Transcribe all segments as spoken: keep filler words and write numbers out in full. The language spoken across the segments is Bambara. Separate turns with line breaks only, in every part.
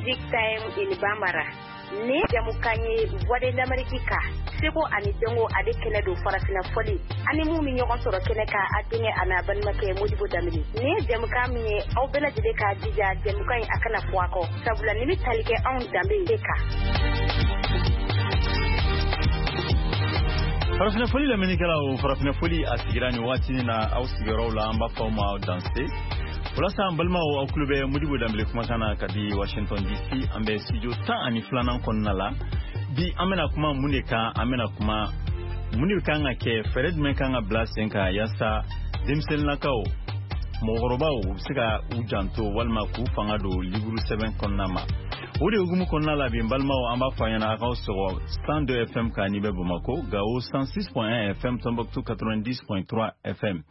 Music Time in Bambara. Ni jamukan ye Voix de l'Amérique kan seko ani dɔnko ale kɛnɛ don farafinna fɔli ani mun bɛ ɲɔgɔn sɔrɔ kɛnɛ kan a denkɛ a n'a balimakɛ Modibo Danbele. Nin ye jamukan min ye aw bɛɛ lajɛlen k'a jija jamukan in a kana fɔ a kɔ sabula nin bɛ tali kɛ anw danbe de kan.
Farafinna fɔli lamɛnnikɛlaw, farafinna fɔli a sigira nin waati na aw sigiyɔrɔw la, an b'a fɔ aw ma danse. Walasa an balimaw, aw tulo bɛ Modibo Danbele kumakan na ka di Washington D C, an bɛ studio tan ani filanan kɔnɔna la. Bi an bɛna kuma mun de kan? An bɛna kuma mun de kan ka kɛ, fɛɛrɛ jumɛn kan ka bila sen kan yaasa denmisɛnninnakaw, mɔgɔkɔrɔbaw, u bɛ se ka u janto walima k'u fanga don liburu sɛbɛn kɔnɔna ma. O de hukumu kɔnɔna la bi, n balimaw, an b'a fɔ a ɲɛna a k'aw sɔgɔ cent deux F M kan n'i bɛ Bamakɔ, Gawo cent six point un F M, Tombouctou quatre-vingt-dix point trois F M.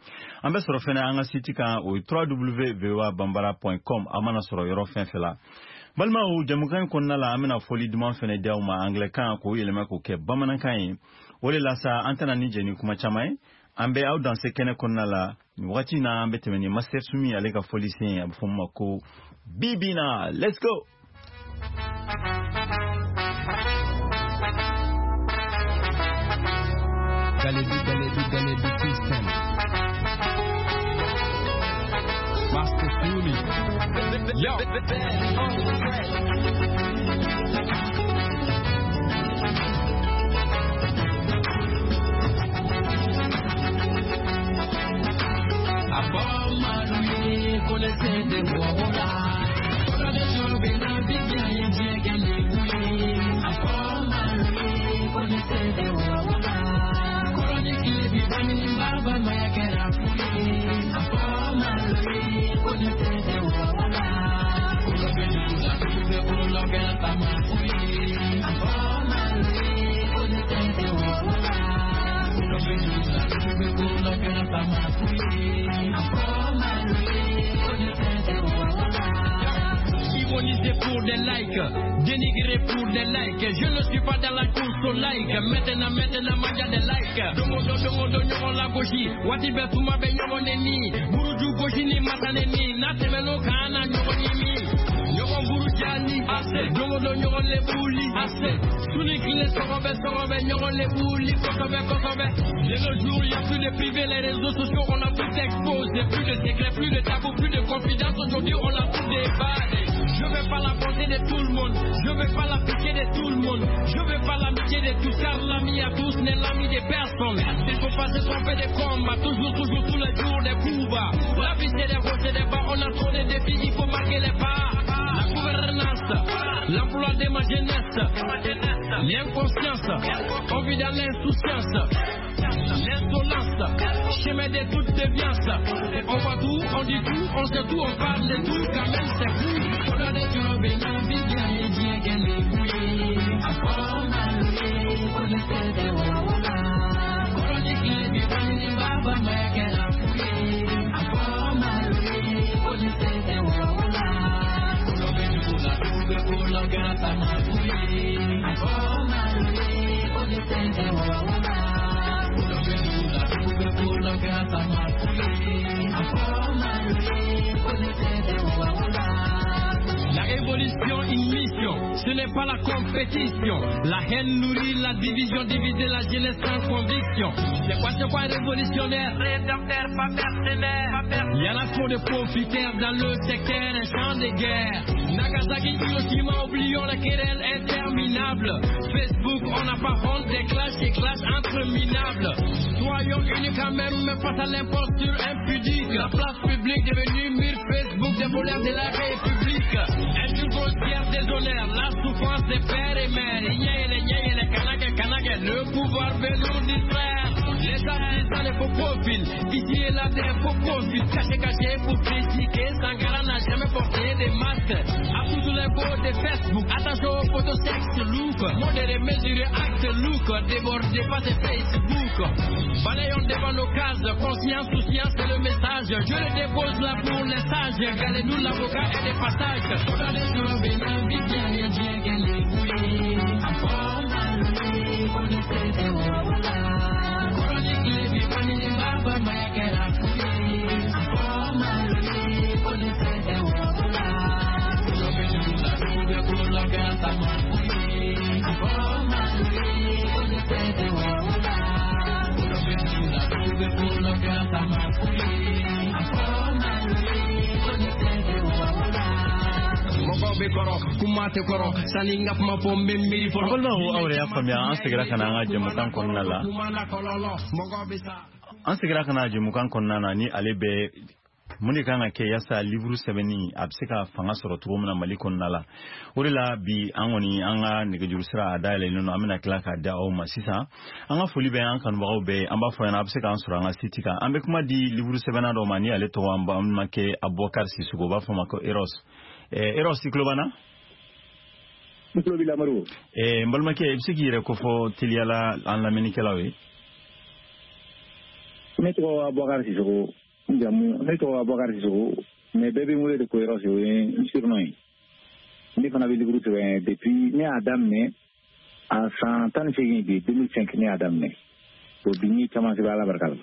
An bɛ sɔrɔ fɛnɛ an ka site kan, o ye w w w point voabambara point com. An mana sɔrɔ yɔrɔ fɛn fɛn la, balimaw, jamukan in kɔnɔna la, an bɛna fɔli duman fɛnɛ di aw ma anglais kan k'o yɛlɛma k'o kɛ bamanankan ye. O de la sa, an tɛna ni jɛ ni kuma caman ye, an bɛ aw danse kɛnɛ kɔnɔna la nin wagati na. An bɛ tɛmɛ ni Master Sumi ale ka fɔlisen ye, a bɛ fɔ min ma ko Bibina. Let's go.
Galebi, Galebi, Galebi system. Master Sumi. Yo. Abamaluye connaissait des voix. Connaissait des voix. Baba mayakera fuye. Abamaluye connaissait des voix.
Ironiser pour des likes, dénigrer pour des likes. Je ne suis pas dans la course au like. Maintenant, maintenant, manja des likes. Dongo do dongo do ɲɔgɔn lagosi. Waati bɛɛ tuma bɛ ɲɔgɔn neni. Buruju gosi ni masa neni. N'a tɛmɛn'o kan, an na ɲɔgɔn ɲimi. Ɲɔgɔn buruja ni ase. Dongo do ɲɔgɔn lebuli ase. Su ni tile sɔgɔbɛ sɔgɔbɛ ɲɔgɔn lebuli kosɛbɛ kosɛbɛ. De nos jours, y a plus de privé, les réseaux sociaux, on a tout exposé. Plus de secrets, plus de tabous, plus de confidence. Aujourd'hui, on a tout déballé. Je veux pas la bonté de tout le monde. Je veux pas la pitié de tout le monde. Je veux pas l'amitié de tous, car l'ami à tous n'est l'ami de personne. Il faut pas se tromper de combat. Toujours, toujours, tous les jours, des coups bas. La vie, c'est des hauts, c'est des bas. On a trop de défis, il faut marquer les pas. La gouvernance, l'emploi de ma jeunesse, l'inconscience, on vit dans l'insouciance, l'insolence, chemin de toute déviance. On voit tout, on dit tout, on sait tout, on parle de tout, quand même c'est fou. On a des jobs et la vie bien et bien qu'elle est bouillée. On essaie de wawa. Chronique les vivants, baba mayakera fouillé. On essaie de wawa. La révolution, une mission, ce n'est pas la compétition. La haine nourrit la division, diviser la jeunesse sans conviction. C'est quoi, c'est quoi révolutionnaire? Rédempteur, pas mercenaire. Il y en a trop de profiteurs dans le secteur, un champ de guerre. Nagasaki, Hiroshima, oublions la querelle interminable. Facebook, on n'a pas honte des clashs et clashs entre minables. Soyons unis quand même face à l'imposture impudique. La place publique devenue mur Facebook des voleurs de la République. Injure grossière, déshonneur, la souffrance des pères et mères. Yé, yé, les kanake, kanake, le pouvoir veut nous distraire. Les artisans, les faux profils, ici et là des faux profils. Caché, caché pour critiquer, Sankara n'a jamais porté des masques. À tous les beaux de Facebook, attention aux photos sexe look. Modéré, mesuré, acte look, débordé pas de Facebook. Balayons devant nos cases, conscience, souciance, c'est le message. Je le dépose là pour les sages, regardez-nous l'avocat et des passages.
Balimaw, aw yɛrɛ y'a faamuya, an seginna ka na an ka jɛmukan kɔnɔna la. An seginna ka na jɛmukan kɔnɔna na ni ale bɛ mun de kan ka kɛ yaasa livre sɛbɛnni a bɛ se ka fanga sɔrɔ cogo min na Mali kɔnɔna la. O de la bi an kɔni an ka nɛgɛjuru sira a dayɛlɛlen don, an bɛna tila k'a da aw ma sisan. An ka foli bɛ an kanubagaw bɛɛ, an b'a fɔ ɲɛna a bɛ se k'an sɔrɔ an ka site kan. An bɛ kuma di livre sɛbɛnna dɔ ma ni ale tɔgɔ an balimakɛ Abubakar Sisoko, u b'a fɔ a ma ko Eros. Eros, i tulo b'an na?
N tulo b'i la, Modibo.
N balimakɛ, i bɛ se k'i yɛrɛ kofɔ teliyala an lamɛnnikɛlaw ye?
Ne tɔgɔ Abubakar Sisoko, n jamu ne tɔgɔ Abubakar Sisoko, mais bɛɛ bɛ n wele de ko Eros, o ye n surnom ye. Ne fana bɛ livre sɛbɛn depuis ne y'a daminɛ a san tan ni seegin bi, deux mille cinq ne y'a daminɛ. O bi n ye caman sɛbɛn, Ala barika la.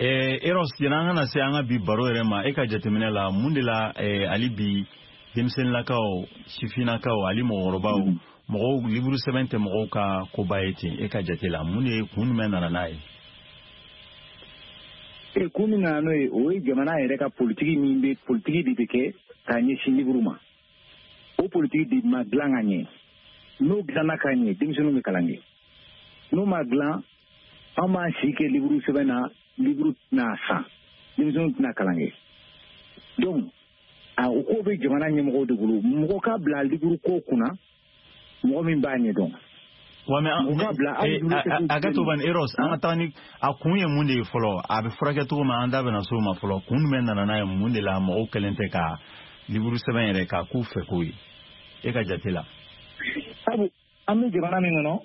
Eros, yanni an ka na se an ka bi baro yɛrɛ ma, e ka jateminɛ la, mun de la hali bi denmisɛnninlakaw, sifinnakaw ani mɔgɔkɔrɔbaw, mɔgɔw livre sɛbɛn tɛ mɔgɔw ka koba ye ten? E ka jate la, mun de kun jumɛn nana n'a ye?
E kun min nana n'o ye, o ye jamana yɛrɛ ka politiki min bɛ, politiki de bɛ kɛ k'a ɲɛsin livre ma. O politiki de ma dilan ka ɲɛ. N'o dilanna ka ɲɛ, denmisɛnninw bɛ kalan kɛ. N'o ma dilan, an b'an si kɛ livre sɛbɛn na, livre tɛna san, denmisɛnninw tɛna kalan kɛ. Donc a o ko bɛ jamana ɲɛmɔgɔw de bolo, mɔgɔ ka bila livre ko kunna, mɔgɔ min b'a ɲɛdɔn.
Wa mais a ka to ban, Eros, an ka taa ni a kun ye mun de ye fɔlɔ, a bɛ furakɛ cogo min, an da bɛna s'o ma fɔlɔ. Kun jumɛn nana n'a ye? Mun de la mɔgɔw kɛlen tɛ ka livre sɛbɛn yɛrɛ k'a k'u fɛ ko ye, e ka jate la?
Sabu an bɛ jamana min kɔnɔ,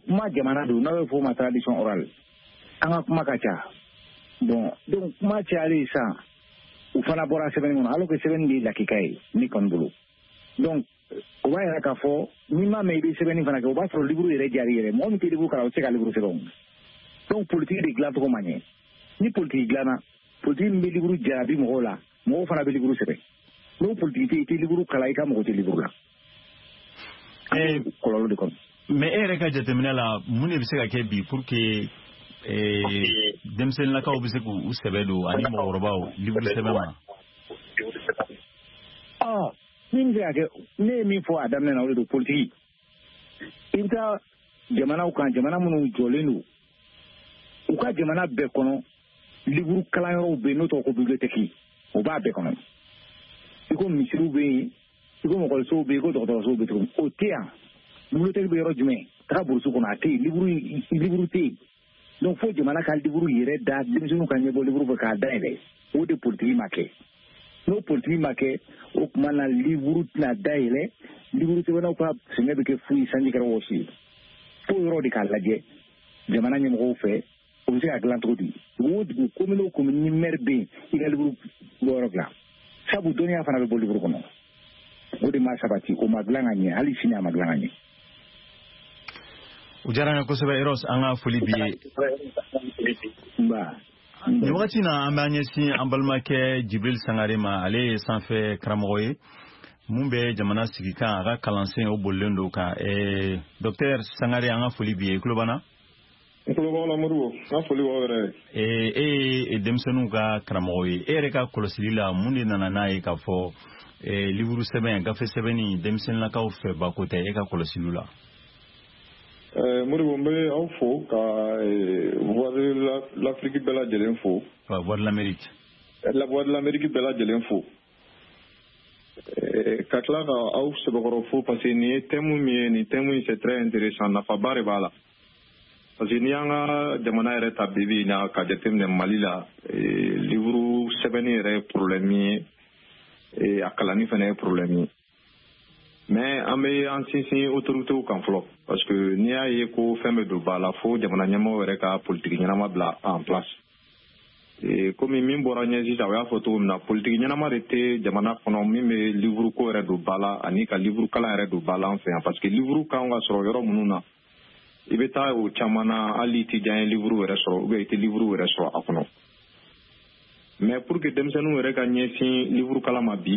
kuma jamana don, n'a bɛ fɔ o ma tradition orale, an ka kuma ka ca. Bon, donc kuma cayalen sisan, u fana bɔra sɛbɛnni kɔnɔ, alors que sɛbɛnni de ye lakika ye ne kɔni bolo. Donc o b'a yira k'a fɔ n'i m'a mɛn i bɛ sɛbɛnni fana kɛ, o b'a sɔrɔ livre yɛrɛ diyar'i yɛrɛ. Mɔgɔ min tɛ livre kalan, o tɛ se ka livre sɛbɛn o. Donc politique de dilancogo ma ɲɛ. Ni politique dilanna, politique min bɛ livre jarabi mɔgɔw la, mɔgɔw fana bɛ livre sɛbɛn. N'o politique tɛ yen, i tɛ livre kalan, i ka mɔgɔ tɛ livre la. An bɛ kɔlɔlɔ de kɔnɔ.
Mais e yɛrɛ ka jateminɛ la, mun de bɛ se ka kɛ bi pour que denmisɛnninlakaw bɛ se k'u sɛbɛ don ani mɔgɔkɔrɔbaw livre sɛbɛn ma?
Ɔ min bɛ se ka kɛ, ne ye min fɔ a daminɛ na, o de don, politique. I bɛ taa jamanaw kan, jamana minnu jɔlen don, u ka jamana bɛɛ kɔnɔ, livre kalanyɔrɔw bɛ yen n'o tɔgɔ ko bibliothèque, o b'a bɛɛ kɔnɔ. I ko misiriw bɛ yen, i ko mɔgɔlisow bɛ yen, i ko dɔgɔtɔrɔsow bɛ cogo min, o tɛ yan. Bibliothèque bɛ yɔrɔ jumɛn? Taga burusi kɔnɔ, a tɛ yen, livre livre tɛ yen. Donc fo jamana ka livre yɛrɛ da, denmisɛnninw ka ɲɛbɔ livre fɛ k'a dayɛlɛ. O de politique ma kɛ. N'o politique ma kɛ, o tuma na livre tɛna dayɛlɛ, livre sɛbɛnnaw ka sɛgɛn bɛ kɛ fu ye, sanji kɛra wɔsi ye. Fo yɔrɔ de k'a lajɛ jamana ɲɛmɔgɔw fɛ, o bɛ se ka dilan cogo di? Dugu o dugu, commune o commune, ni maire bɛ yen, i ka livre bɔyɔrɔ dilan. Sabu dɔnniya fana bɛ bɔ livre kɔnɔ. O de ma sabati, o ma dilan ka ɲɛ, hali sini a ma dilan ka ɲɛ.
O diyara n ye kosɛbɛ, Eros, an ka foli b'i ye.
Nba.
Nin wagati na, an b'an ɲɛsin an balimakɛ Jibril Sangare ma. Ale ye sanfɛ karamɔgɔ ye mun bɛ jamana sigi kan, a ka kalansen o bolilen don kan. Docteur Sangare, an ka foli b'i ye, i tulo b'an na?
N tulo b'aw la, Modibo, n ka foli b'aw yɛrɛ
ye. E ye denmisɛnninw ka karamɔgɔ ye, e yɛrɛ ka kɔlɔsili la, mun de nana n'a ye k'a fɔ livre sɛbɛn, gafe sɛbɛnni, denmisɛnninlakaw fɛ bako tɛ, e ka kɔlɔsiliw la?
Modibo, n bɛ aw fo ka Voix de l'Afrique bɛɛ lajɛlen fo.
Voix de l'Amérique.
La Voix de l'Amérique bɛɛ lajɛlen fo. Ka tila ka aw sɛbɛkɔrɔ fo, parce que nin ye thème min ye, nin thème in, c'est très intéressant, nafaba de b'a la. Parce que n'i y'an ka jamana yɛrɛ ta bi bi in na ka jateminɛ Mali la, livre sɛbɛnni yɛrɛ ye problème ye, a kalanni fana ye problème ye. Mais an bɛ an sinsin autorités kan fɔlɔ, parce que n'i y'a ye ko fɛn bɛ don ba la, fo jamana ɲɛmɔgɔw yɛrɛ ka politique ɲɛnama bila en place. Komi min bɔra ɲɛ sisan, o y'a fɔ cogo min na, politique ɲɛnama de tɛ jamana kɔnɔ min bɛ livre ko yɛrɛ don ba la ani ka livre kalan yɛrɛ don ba la an fɛ yan, parce que livre kan ka sɔrɔ yɔrɔ minnu na, i bɛ taa o caman na, hali i tɛ diya livre yɛrɛ sɔrɔ ou bien i tɛ livre yɛrɛ sɔrɔ a kɔnɔ. Mais pour que denmisɛnninw yɛrɛ ka ɲɛsin livre kalan ma bi.